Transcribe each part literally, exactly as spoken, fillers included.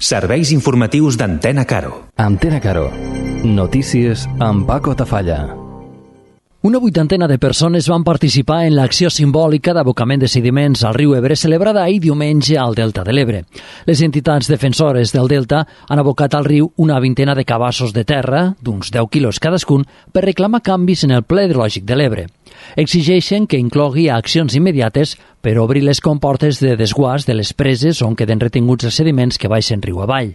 Serveis informatius d'Antena Caro. Antena Caro. Notícies amb Paco Tafalla. Una vuitantena de persones van participar en l'acció simbòlica d'abocament de sediments al riu Ebre celebrada ahir diumenge al Delta de l'Ebre. Les entitats defensores del Delta han abocat al riu una vintena de cabassos de terra, d'uns deu quilos cadascun, per reclamar canvis en el ple hidrològic de l'Ebre. Exigeixen que inclogui accions immediates per obrir les comportes de desguàs de les preses on queden retinguts els sediments que baixen riu avall.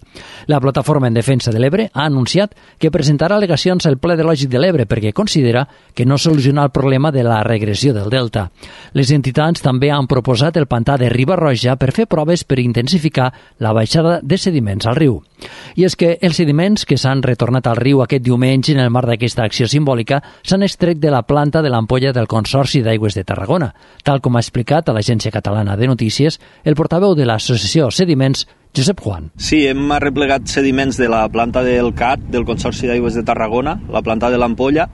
La Plataforma en Defensa de l'Ebre ha anunciat que presentarà al·legacions al ple hidrològic de l'Ebre perquè considera que no soluciona el problema de la regressió del delta. Les entitats també han proposat el pantà de Riba-roja per fer proves per intensificar la baixada de sediments al riu. I és que els sediments que s'han retornat al riu aquest diumenge en el marc d'aquesta acció simbòlica s'han extret de la planta de l'ampolla del Consorci d'Aigües de Tarragona, tal com ha explicat a l'Agència Catalana de Notícies el portaveu de l'associació Sediments, Josep Juan. Sí, hem arreplegat sediments de la planta del C A T, del Consorci d'Aigües de Tarragona, la planta de l'ampolla.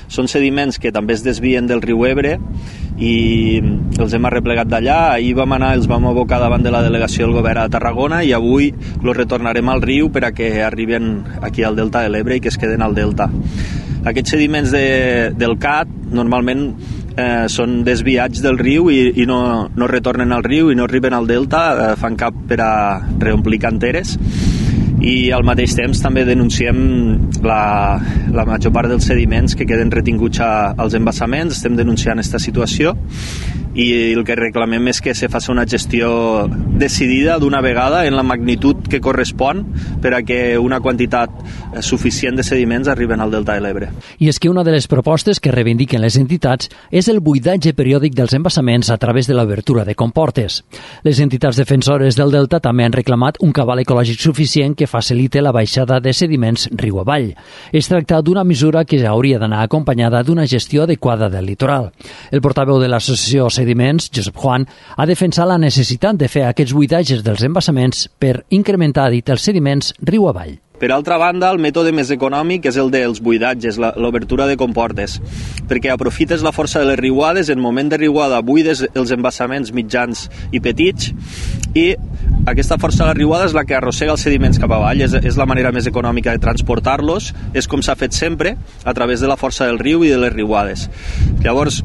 Són sediments que també es desvien del riu Ebre i els hem arreplegat d'allà. Ahir vam anar, els vam abocar davant de la delegació del govern a Tarragona i avui els retornarem al riu per a que arriben aquí al Delta de l'Ebre i que es queden al Delta. Aquests sediments de, del C A T normalment eh, són desviats del riu i, i no, no retornen al riu i no arriben al Delta, eh, fan cap per a reomplir canteres. I al mateix temps també denunciem la, la major part dels sediments que queden retinguts a, als embassaments. Estem denunciant aquesta situació i el que reclamem és que se faci una gestió decidida d'una vegada en la magnitud que correspon per a que una quantitat suficient de sediments arriben al Delta de l'Ebre. I és que una de les propostes que reivindiquen les entitats és el buidatge periòdic dels embassaments a través de l'obertura de comportes. Les entitats defensores del Delta també han reclamat un cabal ecològic suficient que facilite la baixada de sediments riu avall. Es tracta d'una mesura que hauria d'anar acompanyada d'una gestió adequada del litoral. El portaveu de l'associació Sediments, Josep Juan, ha defensat la necessitat de fer aquests buidatges dels embassaments per incrementar, dit, els sediments riu avall. Per altra banda, el mètode més econòmic és el dels buidatges, l'obertura de comportes, perquè aprofites la força de les riuades, en moment de riuada buides els embassaments mitjans i petits i aquesta força de la riuada és la que arrossega els sediments cap avall, és, és la manera més econòmica de transportar-los, és com s'ha fet sempre, a través de la força del riu i de les riuades. Llavors,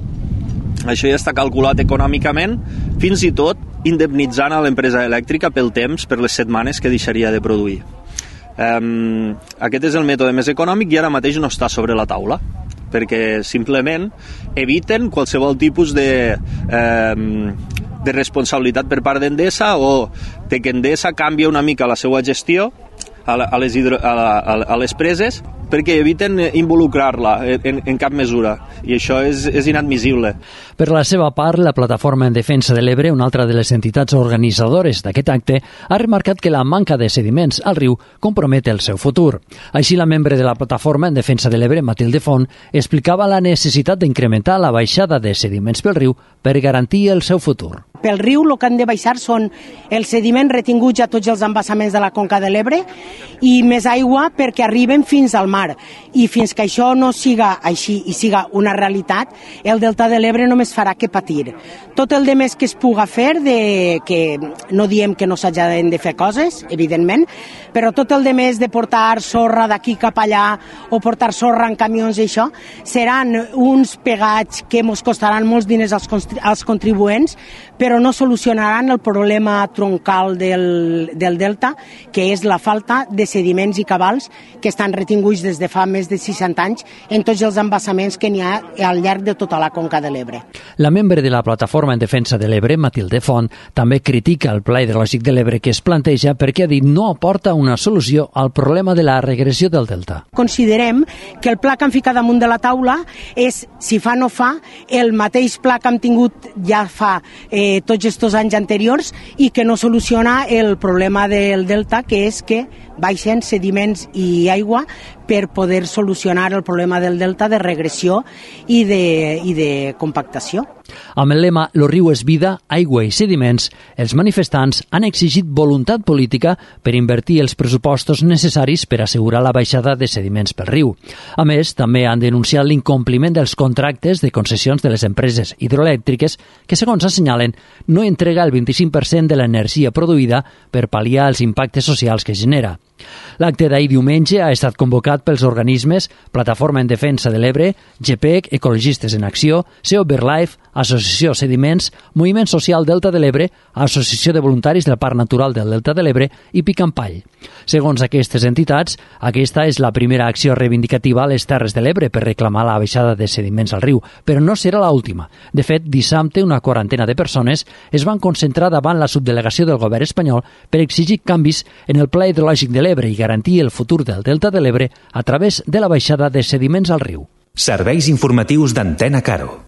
això ja està calculat econòmicament, fins i tot indemnitzant a l'empresa elèctrica pel temps, per les setmanes que deixaria de produir. Um, aquest és el mètode més econòmic i ara mateix no està sobre la taula perquè simplement eviten qualsevol tipus de, um, de responsabilitat per part d'Endesa o de que Endesa canvia una mica la seva gestió a, la, a, les, hidro, a, la, a les preses perquè eviten involucrar-la en, en cap mesura i això és, és inadmissible. Per la seva part, la Plataforma en Defensa de l'Ebre, una altra de les entitats organitzadores d'aquest acte, ha remarcat que la manca de sediments al riu compromet el seu futur. Així, la membre de la Plataforma en Defensa de l'Ebre, Matilde Font, explicava la necessitat d'incrementar la baixada de sediments pel riu per garantir el seu futur. Pel riu el que han de baixar són els sediments retinguts a tots els embassaments de la Conca de l'Ebre i més aigua perquè arriben fins al mar. I fins que això no siga així i siga una realitat, el Delta de l'Ebre només farà que patir. Tot el de més que es puga fer, de, que no diem que no s'hagin de fer coses, evidentment, però tot el de més de portar sorra d'aquí cap allà o portar sorra en camions i això, seran uns pegats que ens costaran molts diners als, als contribuents, però no solucionaran el problema troncal del, del Delta, que és la falta de sediments i cabals que estan retinguts des de fa més de seixanta anys en tots els embassaments que n'hi ha al llarg de tota la Conca de l'Ebre. La membre de la Plataforma en Defensa de l'Ebre, Matilde Font, també critica el Pla Hidrològic de l'Ebre que es planteja perquè ha dit no aporta una solució al problema de la regressió del Delta. Considerem que el pla que han ficat damunt de la taula és, si fa no fa, el mateix pla que hem tingut ja fa eh, tots aquests anys anteriors i que no soluciona el problema del Delta, que és que baixen sediments i aigua per poder solucionar el problema del Delta de regressió i de, i de compactació. Amb el lema «Lo riu és vida, aigua i sediments», els manifestants han exigit voluntat política per invertir els pressupostos necessaris per assegurar la baixada de sediments pel riu. A més, també han denunciat l'incompliment dels contractes de concessions de les empreses hidroelèctriques que, segons assenyalen, no entrega el vint-i-cinc per cent de l'energia produïda per pal·liar els impactes socials que genera. L'acte d'ahir diumenge ha estat convocat pels organismes Plataforma en Defensa de l'Ebre, GEPEC, Ecologistes en Acció, SEO BirdLife, Associació Sediments, Moviment Social Delta de l'Ebre, Associació de Voluntaris del Parc Natural del Delta de l'Ebre i Picampall. Segons aquestes entitats, aquesta és la primera acció reivindicativa a les Terres de l'Ebre per reclamar la baixada de sediments al riu, però no serà l'última. De fet, dissabte una quarantena de persones es van concentrar davant la subdelegació del govern espanyol per exigir canvis en el Pla Hidrològic de l'Ebre i garantir el futur del Delta de l'Ebre a través de la baixada de sediments al riu. Serveis informatius d'Antena Caro.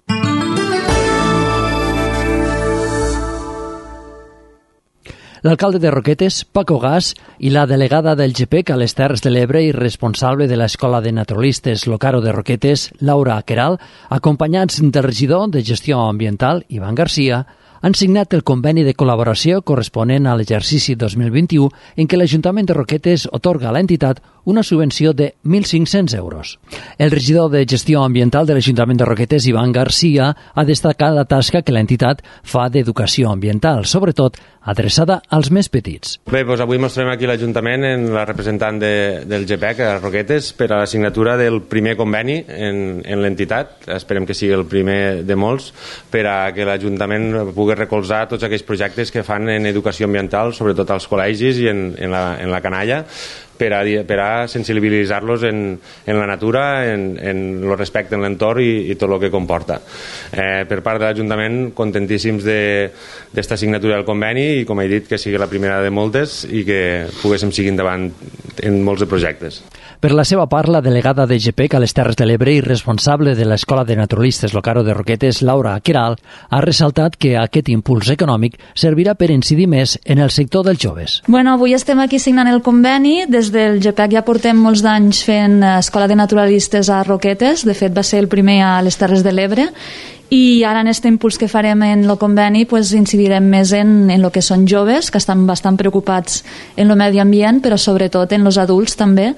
L'alcalde de Roquetes, Paco Gas, i la delegada del GEPEC a les Terres de l'Ebre i responsable de l'Escola de Naturalistes Locaro de Roquetes, Laura Queralt, acompanyats del regidor de Gestió Ambiental, Ivan Garcia, han signat el conveni de col·laboració corresponent a l'exercici dos mil vint-i-u en què l'Ajuntament de Roquetes otorga a l'entitat una subvenció de mil cinc-cents euros. El regidor de Gestió Ambiental de l'Ajuntament de Roquetes, Ivan Garcia, ha destacat la tasca que l'entitat fa d'educació ambiental, sobretot adreçada als més petits. Bé, doncs avui mostrem aquí l'Ajuntament en la representant de, del GEPEC a Roquetes per a la signatura del primer conveni en, en l'entitat. Esperem que sigui el primer de molts per a que l'Ajuntament pugui recolzar tots aquells projectes que fan en educació ambiental, sobretot als col·legis i en, en, la, en la canalla, per a, per a sensibilitzar-los en, en la natura, en, en el respecte en l'entorn i, i tot el que comporta. Eh, per part de l'Ajuntament, contentíssims d'esta de, signatura del conveni i, com he dit, que sigui la primera de moltes i que poguéssim seguir endavant en molts de projectes. Per la seva part, la delegada de GEPEC a les Terres de l'Ebre i responsable de l'Escola de Naturalistes Locaro de Roquetes, Laura Queralt, ha ressaltat que aquest impuls econòmic servirà per incidir més en el sector dels joves. Bueno, avui estem aquí signant el conveni. Des del GEPEC ja portem molts d'anys fent Escola de Naturalistes a Roquetes. De fet, va ser el primer a les Terres de l'Ebre. I ara en aquest impuls que farem en el conveni pues, incidirem més en, en el que són joves, que estan bastant preocupats en el medi ambient, però sobretot en els adults també,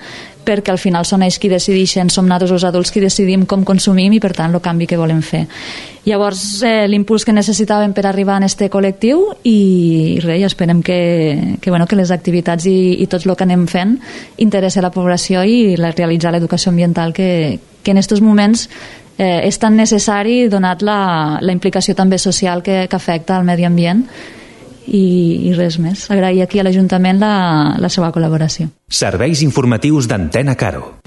perquè al final són ells qui decideixen, som nosaltres els adults qui decidim com consumim i per tant el canvi que volem fer. Llavors eh, l'impuls que necessitàvem per arribar a aquest col·lectiu i, i res, esperem que, que, bueno, que les activitats i, i tot el que anem fent interessa a la població i la, realitzar l'educació ambiental que, que en aquests moments eh, és tan necessari donat la, la implicació també social que, que afecta al medi ambient. I, i res més. Agrair aquí a l'Ajuntament la, la seva col·laboració. Serveis informatius d'Antena Caro.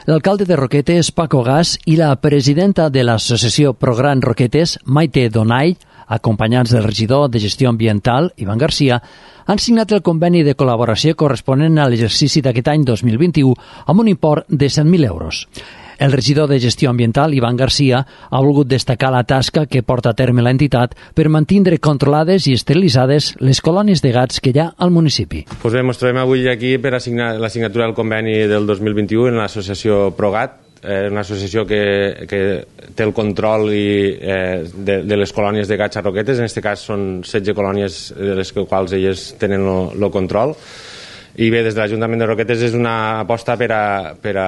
L'alcalde de Roquetes, Paco Gas, i la presidenta de l'associació Progran Roquetes, Maite Donall, acompanyats del regidor de Gestió Ambiental, Ivan Garcia, han signat el conveni de col·laboració corresponent a l'exercici d'aquest any dos mil vint-i-u amb un import de cent mil euros. El regidor de Gestió Ambiental, Ivan Garcia, ha volgut destacar la tasca que porta a terme l'entitat per mantindre controlades i esterilitzades les colònies de gats que hi ha al municipi. Pues bé, ens trobem avui aquí per a signar la signatura del conveni del dos mil vint-i-u en l'associació Progat, eh, una associació que, que té el control i, eh, de, de les colònies de gats a Roquetes. En aquest cas són setze colònies de les quals elles tenen el control. I bé, des de l'Ajuntament de Roquetes és una aposta per a, per a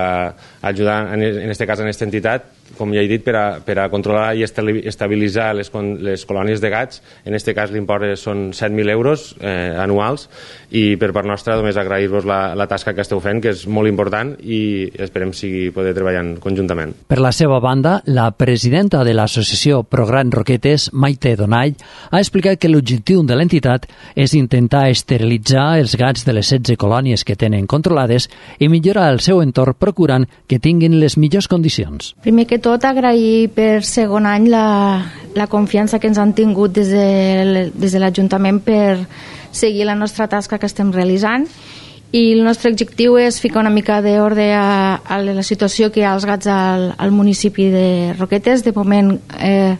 ajudar, en aquest cas, en aquesta entitat, com ja he dit, per a, per a controlar i estabilitzar les, les colònies de gats. En aquest cas l'import són set mil euros eh, anuals i per part nostra només agrair-vos la, la tasca que esteu fent, que és molt important i esperem sigui poder treballar conjuntament. Per la seva banda, la presidenta de l'associació Progran Roquetes, Maite Donall, ha explicat que l'objectiu de l'entitat és intentar esterilitzar els gats de les setze colònies que tenen controlades i millorar el seu entorn procurant que tinguin les millors condicions. Primer que tot, agrair per segon any la, la confiança que ens han tingut des de, des de l'Ajuntament per seguir la nostra tasca que estem realitzant i el nostre objectiu és ficar una mica d'ordre a, a la situació que hi ha als gats al, al municipi de Roquetes. De moment eh,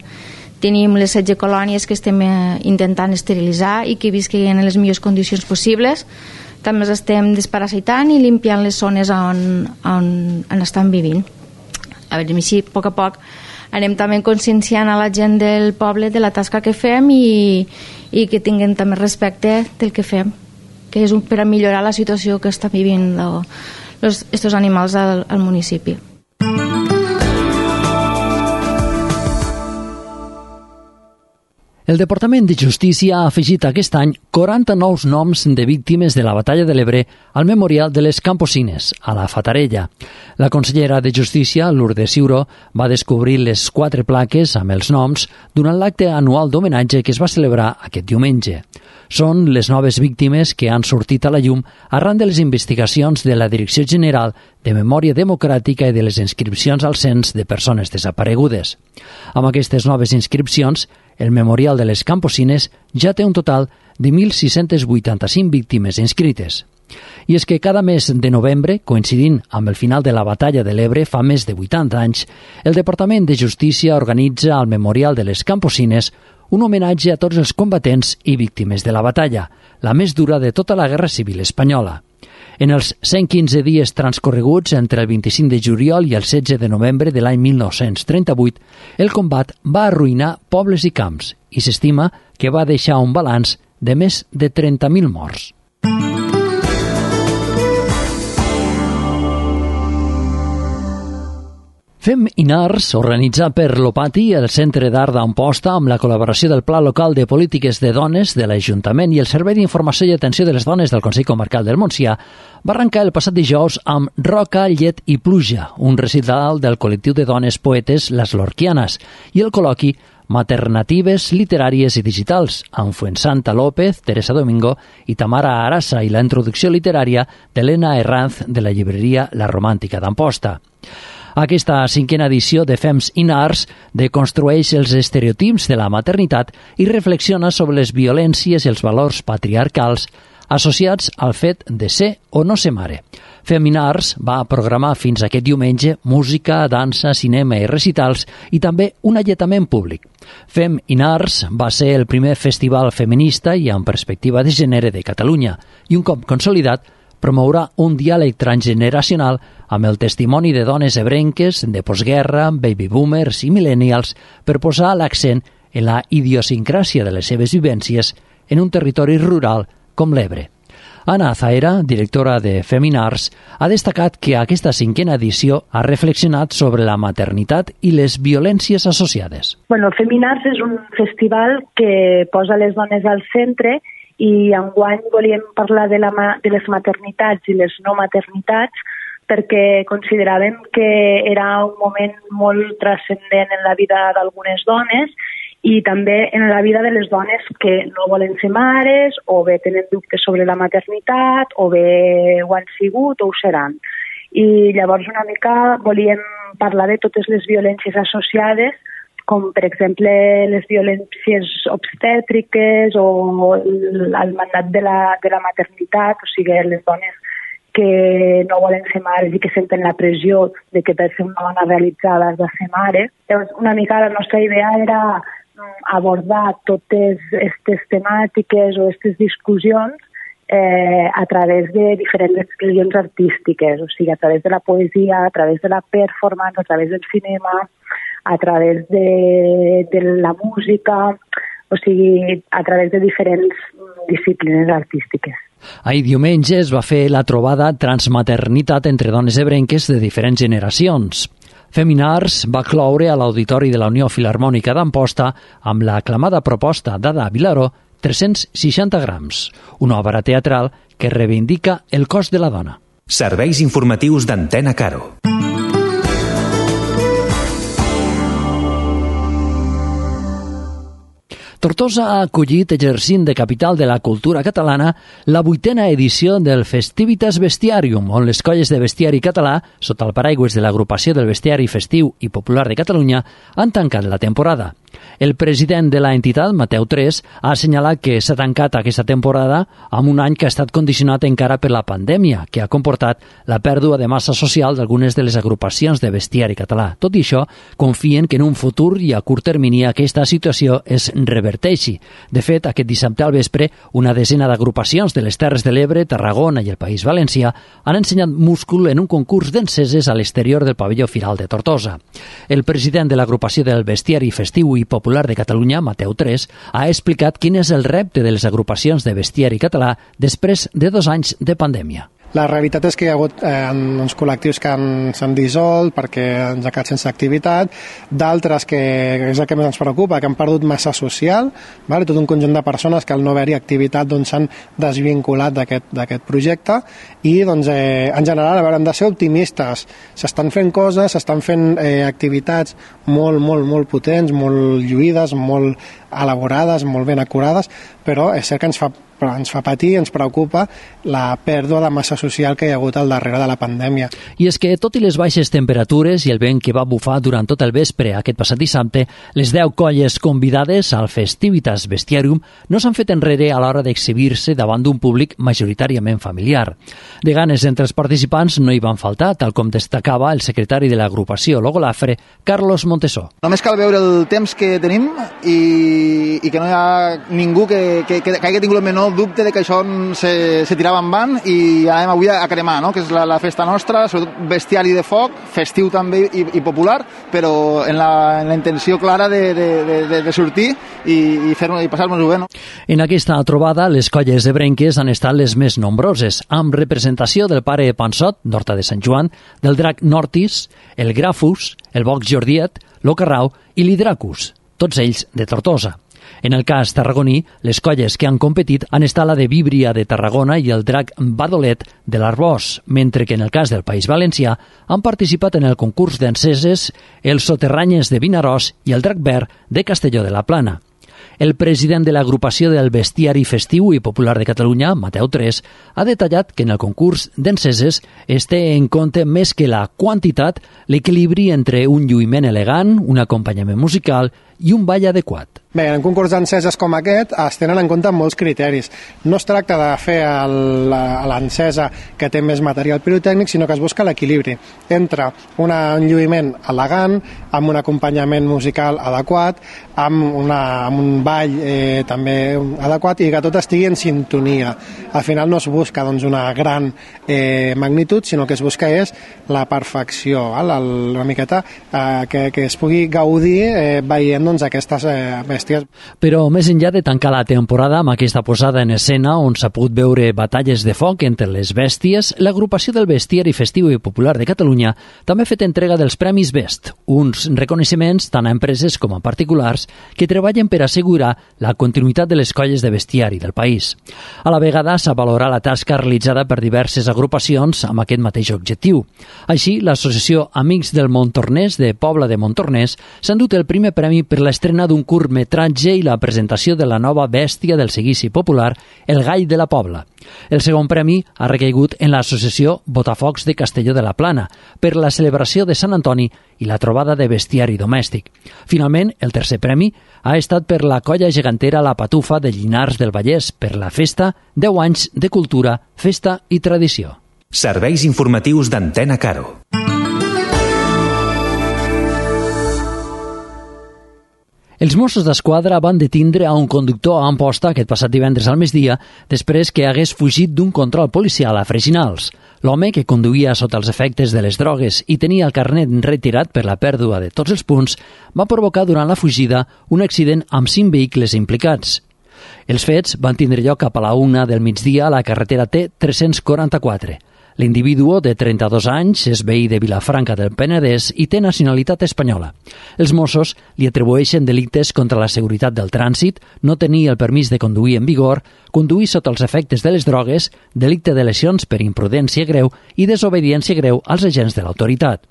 tenim les setze colònies que estem eh, intentant esterilitzar i que visquin en les millors condicions possibles. també els estem desparasitant i limpiant les zones on, on, on estan vivint. A veure, així, a poc a poc, anem també conscienciant a la gent del poble de la tasca que fem i, i que tinguin també respecte del que fem, que és un, per a millorar la situació que estan vivint aquests animals al, al municipi. El Departament de Justícia ha afegit aquest any quaranta nous noms de víctimes de la Batalla de l'Ebre al Memorial de les Camposines, a la Fatarella. La consellera de Justícia, Lourdes Ciuró, va descobrir les quatre plaques amb els noms durant l'acte anual d'homenatge que es va celebrar aquest diumenge. Són les noves víctimes que han sortit a la llum arran de les investigacions de la Direcció General de Memòria Democràtica i de les inscripcions al cens de persones desaparegudes. Amb aquestes noves inscripcions, el Memorial de les Camposines ja té un total de mil sis-cents vuitanta-cinc víctimes inscrites. I és que cada mes de novembre, coincidint amb el final de la Batalla de l'Ebre fa més de vuitanta anys, el Departament de Justícia organitza al Memorial de les Camposines un homenatge a tots els combatents i víctimes de la batalla, la més dura de tota la Guerra Civil espanyola. En els cent quinze dies transcorreguts entre el vint-i-cinc de juliol i el setze de novembre de l'any mil nou-cents trenta-vuit, el combat va arruïnar pobles i camps i s'estima que va deixar un balanç de més de trenta mil morts. Fem Inars, organitzat per l'Opati, el Centre d'Art d'Amposta, amb la col·laboració del Pla Local de Polítiques de Dones de l'Ajuntament i el Servei d'Informació i Atenció de les Dones del Consell Comarcal del Montsià, va arrencar el passat dijous amb Roca, Llet i Pluja, un recital del col·lectiu de dones poetes Les Lorquianes, i el col·loqui Maternatives literàries i digitals, amb Fuensanta López, Teresa Domingo i Tamara Arasa, i la introducció literària d'Helena Herranz de la llibreria La Romàntica d'Amposta. Aquesta cinquena edició de Fems in Arts deconstrueix els estereotips de la maternitat i reflexiona sobre les violències i els valors patriarcals associats al fet de ser o no ser mare. Fem in Arts va programar fins aquest diumenge música, dansa, cinema i recitals i també un alletament públic. Fem in Arts va ser el primer festival feminista i amb perspectiva de gènere de Catalunya i un cop consolidat promourà un diàleg transgeneracional amb el testimoni de dones ebrenques de postguerra, baby boomers i millennials per posar l'accent en la idiosincràsia de les seves vivències en un territori rural com l'Ebre. Anna Zaera, directora de Feminars, ha destacat que aquesta cinquena edició ha reflexionat sobre la maternitat i les violències associades. Bueno, Feminars és un festival que posa les dones al centre i enguany volíem parlar de, la, de les maternitats i les no maternitats perquè consideràvem que era un moment molt transcendent en la vida d'algunes dones i també en la vida de les dones que no volen ser mares o bé tenen dubtes sobre la maternitat o bé ho han sigut o ho seran. I llavors una mica volíem parlar de totes les violències associades com per exemple les violències obstètriques o el, el mandat de la, de la maternitat, o sigui, les dones que no volen ser mares i que senten la pressió de que per ser una dona realitzada has de ser mare. Llavors, una mica la nostra idea era abordar totes aquestes temàtiques o aquestes discussions eh, a través de diferents expressions artístiques, o sigui, a través de la poesia, a través de la performance, a través del cinema, a través de, de la música, o sigui, a través de diferents disciplines artístiques. Ahir diumenge es va fer la trobada Transmaternitat entre dones ebrenques de diferents generacions. Feminars va cloure a l'Auditori de la Unió Filharmònica d'Amposta amb l'aclamada proposta d'Ada Vilaró tres-cents seixanta grams, una obra teatral que reivindica el cos de la dona. Serveis informatius d'Antena Caro. Tortosa ha acollit, exercint de capital de la cultura catalana, la vuitena edició del Festivitas Bestiarium, on les colles de bestiari català, sota el paraigües de l'Agrupació del Bestiari Festiu i Popular de Catalunya, han tancat la temporada. El president de l'entitat, Mateu Tres, ha assenyalat que s'ha tancat aquesta temporada amb un any que ha estat condicionat encara per la pandèmia, que ha comportat la pèrdua de massa social d'algunes de les agrupacions de bestiari català. Tot i això, confien que en un futur i a curt termini aquesta situació es reverteixi. De fet, aquest dissabte al vespre, una desena d'agrupacions de les Terres de l'Ebre, Tarragona i el País Valencià han ensenyat múscul en un concurs d'enceses a l'exterior del pavelló Firal de Tortosa. El president de l'agrupació del bestiari festiu i popular de Catalunya, Mateu Tres, ha explicat quin és el repte de les agrupacions de bestiari català després de dos anys de pandèmia. La realitat és que hi ha hagut eh, uns col·lectius que s'han dissolt perquè ens ha quedat sense activitat, d'altres que és el que més ens preocupa, que han perdut massa social, vale? Tot un conjunt de persones que al no haver-hi activitat doncs, s'han desvinculat d'aquest projecte i doncs, eh, en general a veure, hem de ser optimistes, s'estan fent coses, s'estan fent eh, activitats molt, molt, molt potents, molt lluïdes, molt elaborades, molt ben acurades, però és cert que ens fa però ens fa patir, ens preocupa la pèrdua de massa social que hi ha hagut al darrere de la pandèmia. I és que, tot i les baixes temperatures i el vent que va bufar durant tot el vespre aquest passat dissabte, les deu colles convidades al Festivitas Bestiarium no s'han fet enrere a l'hora d'exhibir-se davant d'un públic majoritàriament familiar. De ganes entre els participants no hi van faltar, tal com destacava el secretari de l'agrupació Logolafre, Carlos Montesó. Només cal veure el temps que tenim i, i que no hi ha ningú que, que, que hagi tingut el menor dubte de que això se, se tirava en van i anem avui a cremar, no? Que és la, la festa nostra, sobretot bestiari de foc, festiu també i, i popular, però en la, en la intenció clara de, de, de, de sortir i, i, fer-nos, i passar-nos-ho bé. No? En aquesta trobada, les colles de Brenques han estat les més nombroses, amb representació del pare Pansot, d'Horta de Sant Joan, del drac Nortis, el Grafus, el Box Jordiet, l'Ocarrau i l'Hidracus, tots ells de Tortosa. En el cas tarragoní, les colles que han competit han estat la de Víbria de Tarragona i el drac Badolet de l'Arbós, mentre que en el cas del País Valencià han participat en el concurs d'enceses els Soterranyes de Vinaròs i el drac Verd de Castelló de la Plana. El president de l'agrupació del bestiari festiu i popular de Catalunya, Mateu Tres, ha detallat que en el concurs d'enceses es té en compte més que la quantitat, l'equilibri entre un lluïment elegant, un acompanyament musical i un ball adequat. Bé, en un concurs d'enceses com aquest es tenen en compte molts criteris. No es tracta de fer l'encesa que té més material pirotècnic, sinó que es busca l'equilibri entre una, un lluïment elegant, amb un acompanyament musical adequat, amb, una, amb un ball eh, també adequat i que tot estigui en sintonia. Al final no es busca doncs, una gran eh, magnitud, sinó que es busca és la perfecció, eh, la, una miqueta eh, que, que es pugui gaudir eh, veient doncs, aquestes eh, bèsties. Però més enllà de tancar la temporada amb aquesta posada en escena on s'ha pogut veure batalles de foc entre les bèsties, l'agrupació del bestiari festiu i popular de Catalunya també ha fet entrega dels Premis Best, uns reconeixements tant a empreses com a particulars que treballen per assegurar la continuïtat de les colles de bestiari del país. A la vegada s'ha valorat la tasca realitzada per diverses agrupacions amb aquest mateix objectiu. Així, l'associació Amics del Montornès de Pobla de Montornès s'ha endut el primer premi per l'estrena d'un curtmetratge i la presentació de la nova bèstia del seguici popular, el Gall de la Pobla. El segon premi ha recaigut en l'associació Botafocs de Castelló de la Plana per la celebració de Sant Antoni i la trobada de bestiari domèstic. Finalment, el tercer premi ha estat per la colla gegantera La Patufa de Llinars del Vallès per la festa deu anys de cultura, festa i tradició. Serveis informatius d'Antena Caro. Els Mossos d'Esquadra van detindre a un conductor a Amposta aquest passat divendres al migdia després que hagués fugit d'un control policial a Freginals. L'home, que conduïa sota els efectes de les drogues i tenia el carnet retirat per la pèrdua de tots els punts, va provocar durant la fugida un accident amb cinc vehicles implicats. Els fets van tindre lloc cap a la una del migdia a la carretera T tres-cents quaranta-quatre. L'individu de trenta-dos anys és veí de Vilafranca del Penedès i té nacionalitat espanyola. Els Mossos li atribueixen delictes contra la seguretat del trànsit, no tenir el permís de conduir en vigor, conduir sota els efectes de les drogues, delicte de lesions per imprudència greu i desobediència greu als agents de l'autoritat.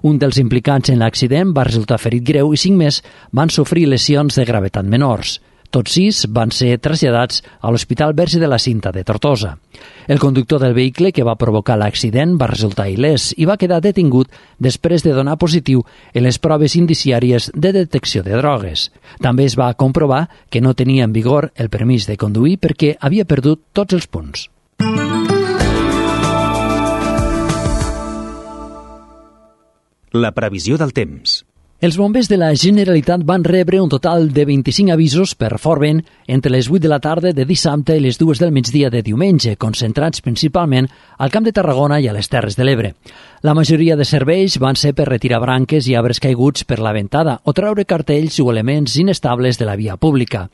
Un dels implicats en l'accident va resultar ferit greu i cinc més van sofrir lesions de gravetat menors. Tots sis van ser traslladats a l'Hospital Verge de la Cinta de Tortosa. El conductor del vehicle que va provocar l'accident va resultar il·lès i va quedar detingut després de donar positiu en les proves indiciàries de detecció de drogues. També es va comprovar que no tenia en vigor el permís de conduir perquè havia perdut tots els punts. La previsió del temps. Els bombers de la Generalitat van rebre un total de vint-i-cinc avisos per fort vent entre les vuit de la tarda de dissabte i les dues del migdia de diumenge, concentrats principalment al Camp de Tarragona i a les Terres de l'Ebre. La majoria de serveis van ser per retirar branques i arbres caiguts per la ventada o treure cartells o elements inestables de la via pública.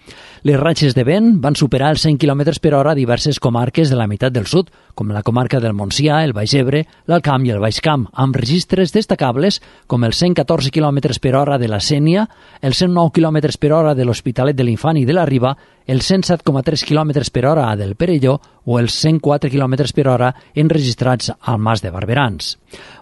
Les ratxes de vent van superar els cent quilòmetres per hora a diverses comarques de la meitat del sud, com la comarca del Montsià, el Baix Ebre, l'Alt Camp i el Baix Camp, amb registres destacables com els cent catorze quilòmetres per hora de la Sénia, els cent nou quilòmetres per hora de l'Hospitalet de l'Infant i de la Riba, els cent set coma tres quilòmetres per hora del Perelló o els cent quatre quilòmetres per hora enregistrats al Mas de Barberans.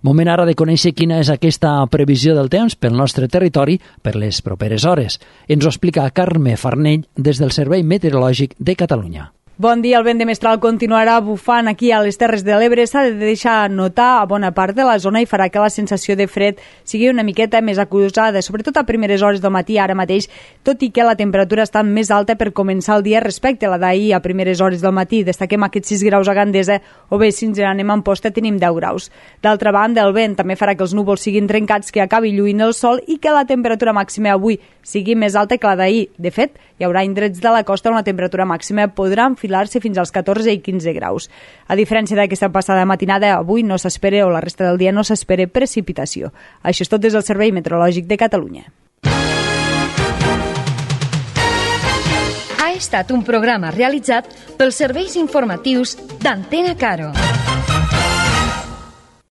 Moment ara de conèixer quina és aquesta previsió del temps pel nostre territori per les properes hores. Ens ho explica Carme Farnell des del Servei Meteorològic de Catalunya. Bon dia, el vent de mestral continuarà bufant aquí a les Terres de l'Ebre. S'ha de deixar notar a bona part de la zona i farà que la sensació de fred sigui una miqueta més acusada, sobretot a primeres hores del matí ara mateix, tot i que la temperatura està més alta per començar el dia respecte a la d'ahir a primeres hores del matí. Destaquem aquests sis graus a Gandesa, o bé, si ens anem a Amposta, tenim deu graus. D'altra banda, el vent també farà que els núvols siguin trencats, que acabi lluint el sol i que la temperatura màxima avui sigui més alta que la d'ahir. De fet, hi haurà indrets de la costa on la temperatura màxima podrà enfilar-se fins als catorze i quinze graus. A diferència d'aquesta passada matinada, avui no s'espera, o la resta del dia no s'espera precipitació. Això és tot des del Servei Meteorològic de Catalunya. Ha estat un programa realitzat pels serveis informatius d'Antena Caro.